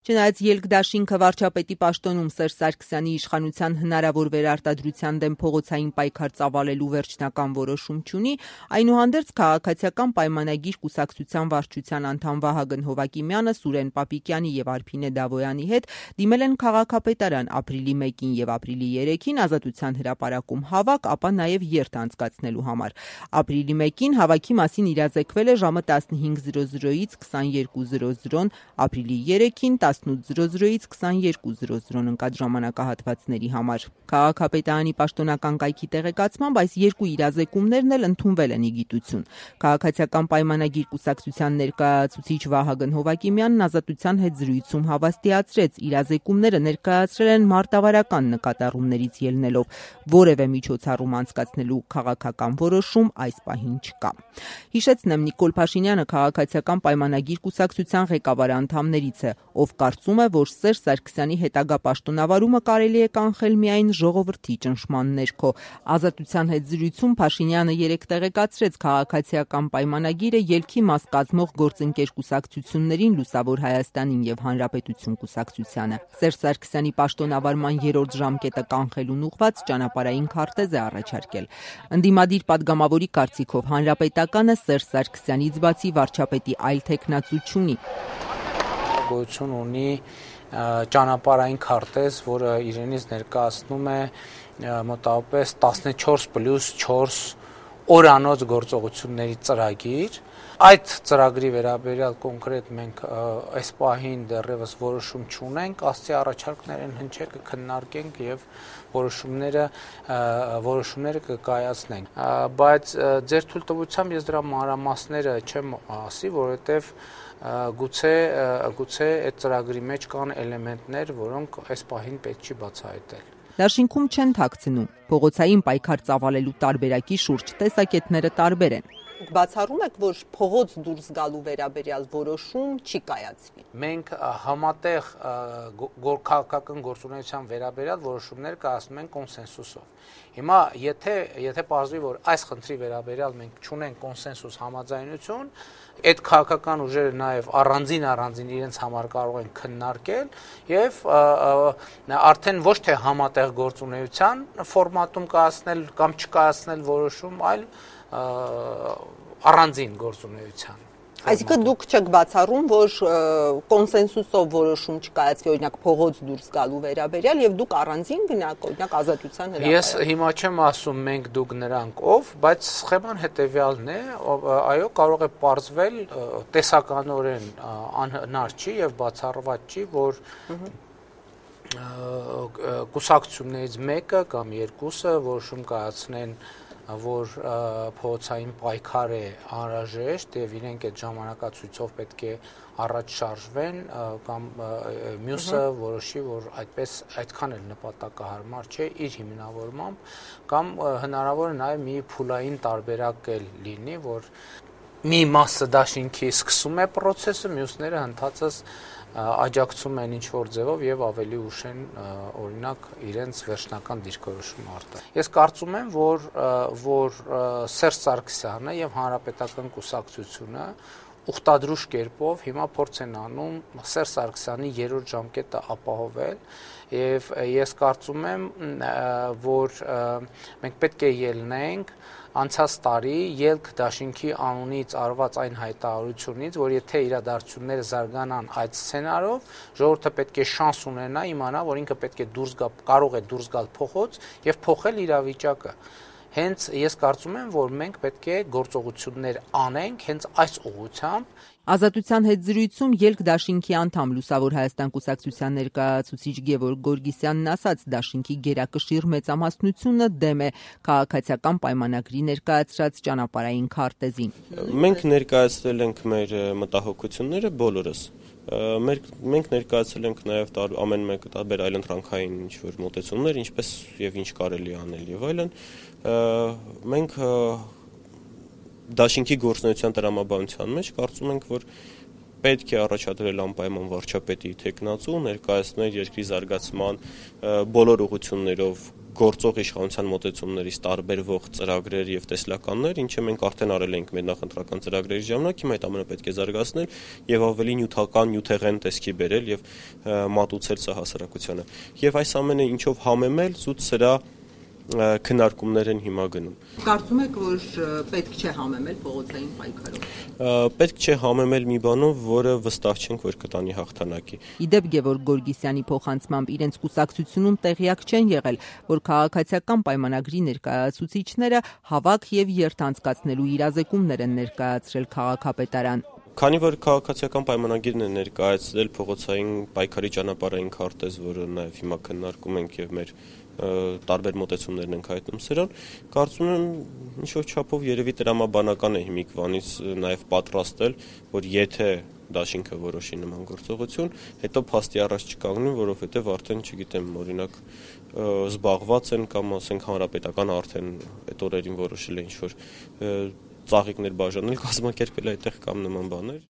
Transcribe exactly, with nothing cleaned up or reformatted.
Չնայած ելք-դաշինքը վարչապետի պաշտոնում Սերժ Սարգսյանի իշխանության հնարավոր վերարտադրության դեմ փողոցային պայքար ծավալելու վերջնական որոշում չունի, այնուհանդերձ քաղաքացիական պայմանագիր կուսակցության վարչության անդամ Վահագն Հովակիմյանը, Սուրեն Պապիկյանի եւ Արփինե Դավոյանի հետ դիմել են քաղաքապետարան ապրիլի մեկին եւ ապրիլի երեքին Ազատության հրապարակում հավաք, ապա նաեւ երթ անցկացնելու համար։ Ապրիլի մեկին հավաքի մասին իրազեկվել է ժամը տասնհինգ զրո զրոից քսաներկու զրո զրոն, ապրիլի երեքին տասնութ զրո զրոից քսաներկու զրո զրոն ընկած ժամանակահատվածների համար։ Քաղաքապետարանի պաշտոնական կայքի տեղեկացմամբ այս երկու իրազեկումներն էլ ընդունվել են ի գիտություն։ Քաղաքացիական պայմանագիր կուսակցության ներկայացուցիչ Վահագն Հովակիմյանն Ազատության հետ զրույցում հավաստիացրեց, իրազեկումները ներկայացրել են մարտավարական նկատառումներից ելնելով, որևէ միջոցառում անցկացնելու քաղաքական որոշում այս պահին չկա։ Հիշեցնեմ, Նիկոլ Փաշինյանը քաղաքացիական պայմանագիր կուսակցության ղեկավար անդամներից է, ով կարծում է, որ Սերժ Սարգսյանի հետագա պաշտոնավարումը կարելի է կանխել միայն ժողովրդի ճնշման ներքո։ Ազատության հետ զրույցում Փաշինյանը երեկ տեղեկացրեց, քաղաքացիական պայմանագիրը ելքի մաս կազմող գործընկեր կուսակցություններին Լուսավոր Հայաստանին եւ Հանրապետություն կուսակցությանը։ Սերժ Սարգսյանի պաշտոնավարման երրորդ ժամկետը կանխելուն ուղղված ճանապարհային քարտեզ է առաջարկել։ Ընդդիմադիր падգամավորի կարծիքով Հանրապետականը Սերժ Սարգսյանից բացի վարչապետի այլ թեկնածու չունի։ Գոյություն ունի ճանապարհային քարտեզ, որը իրենից ներկայացնում է մոտավորապես տասնչորս պլյուս չորս օրանոց գործողությունների ծրագիր։ Այդ ծրագրի վերաբերյալ կոնկրետ մենք այս պահին դեռևս որոշում չունենք, ասցի առաջարկներն հնչել կքննարկենք եւ որոշումները որոշումները կկայացնենք, բայց ձեր թույլտվությամբ ես դրա մանրամասները չեմ ասի, որովհետեւ գուցե գուցե այդ ծրագրի մեջ կան էլեմենտներ, որոնք այս պահին պետք չի բացահայտել։ Դաշինքում չեն թաքցնում, փողոցային պայքար ծավալելու տարբերակի շուրջ տեսակետները տարբեր են։ Բացառում եք, որ փողոց դուրս գալու վերաբերյալ որոշում չի կայացվի։ Մենք համատեղ քաղաքական գործունեության վերաբերյալ որոշումներ կայացնում ենք կոնսենսուսով։ Հիմա եթե եթե պարզվի, որ այս խնդրի վերաբերյալ մենք չունենք կոնսենսուս համաձայնություն, այդ քաղաքական ուժերը նաև առանձին առանձին իրենց համար կարող են քննարկել եւ արդեն ոչ թե համատեղ գործունեության ֆորմատում կայացնել կամ չկայացնել որոշում, այլ առանձին գործունեության։ Այսինքն դուք չեք բացառում, որ կոնսենսուսով որոշում չկայացվի, օրինակ փողոց դուրս գալու վերաբերյալ եւ դուք առանձին գնաք, օրինակ Ազատության հրապարակ։ Ես հիմա չեմ ասում մենք դուք նրանք ով, բայց սխեման հետեւյալն է, այո, կարող է պարզվել տեսականորեն անհնար չի եւ բացառված չի, որ կուսակցություններից մեկը կամ երկուսը որոշում կայացնեն, որ փողոցային պայքար է անհրաժեշտ եւ իրենք այդ ժամանակացույցով պետք է առաջ շարժվեն կամ մյուսը որոշի, որ այդպես այդքան էլ նպատակահարմար չէ իր հիմնավորմամբ կամ հնարավոր է նաեւ մի փուլային տարբերակ էլ լինի, որ մի մասը դաշինքի սկսում է process-ը, մյուսները ընդհանրապես աջակցում են ինչ-որ ձևով եւ ավելի ուշ են օրինակ իրենց վերջնական դիրքորոշումը արտահայտել։ Ես կարծում եմ, որ որ Սերժ Սարգսյանը եւ Հանրապետական կուսակցությունը ուխտադրուժ կերպով հիմա փորձ են անում Սերժ Սարգսյանի երրորդ ժամկետը ապահովել եւ ես կարծում եմ, որ մենք պետք է ելնենք անցած տարի ելք դաշինքի անունից արված այն հայտարարությունից, որ եթե իրադարձությունները զարգանան այդ սցենարով, ժողովուրդը պետք է շանս ունենա իմանա, որ ինքը պետք է դուրս գա, կարող է դուրս գալ փողոց եւ փոխել իրավիճակը։ Հենց ես կարծում եմ, որ մենք պետք է գործողություններ անենք հենց այս ուղղությամբ։ Ազատության հետ զրույցում ելք դաշինքի անդամ Լուսավոր Հայաստան կուսակցության ներկայացուցիչ Գևորգ Գորգիսյանն ասաց, դաշինքի գերակշիռ մեծամասնությունը դեմ է քաղաքացիական պայմանագրի ներկայացրած ճանապարհային քարտեզին։ Մենք ներկայացրել ենք մեր մտահոգությունները բոլորս։ Մենք մենք ներկայացրել ենք նաև ամեն մեկը տարբեր այլընտրանքային ինչ-որ մոտեցումներ, ինչպես եւ ինչ կարելի անել եւ այլն։ Մենք դաշինքի գործունեության տրամաբանության մեջ կարծում ենք, որ պետք է առաջադրել անպայման վարչապետի թեկնածու, ներկայացնել երկրի զարգացման բոլոր ուղղություններով գործող իշխանության մոտեցումներից տարբերվող ծրագրեր եւ տեսլականներ, ինչը մենք արդեն արել ենք մեր նախընտրական ծրագրերի ժամանակ, հիմա այդ ամենը պետք է զարգացնել եւ ավելի նյութական, նյութեղեն տեսքի բերել եւ մատուցել սա հասարակությանը։ Եվ այս ամենը ինչով համեմել, զուտ սրա քննարկումներ են հիմա գնում։ Կարծում եք, որ պետք չէ համեմել փողոցային պայքարով։ Պետք չէ համեմել մի բանով, որը վստահ չենք, որ կտանի հաղթանակի։ Իդեպ Գևորգ Գորգիսյանի փոխանցմամբ իրենց կուսակցությունում տեղյակ չեն եղել, որ քաղաքացիական պայմանագրի ներկայացուցիչները հավաք եւ երթանցկացնելու իրազեկումներ են ներկայացրել քաղաքապետարան։ Քանի որ քաղաքացիական պայմանագիրն է ներկայացրել փողոցային պայքարի ճանապարհային քարտեզ, որը նաև հիմա քննարկում ենք եւ մեր տարբեր մոտեցումներն ենք հայտնում սրան, կարծում եմ ինչ-որ չափով երևի տրամաբանական է հիմիկվանից նաև պատրաստել, որ եթե դաշինքը որոշի նման գործողություն, հետո փաստի առաջ չկանգնի, որովհետև արդեն, չգիտեմ, օրինակ զբաղված են կամ ասենք հանրապետական արդեն այդ օրերին որոշել է ինչ-որ ծաղիկներ բաժանել, կազմակերպել այդտեղ կամ նման բաներ։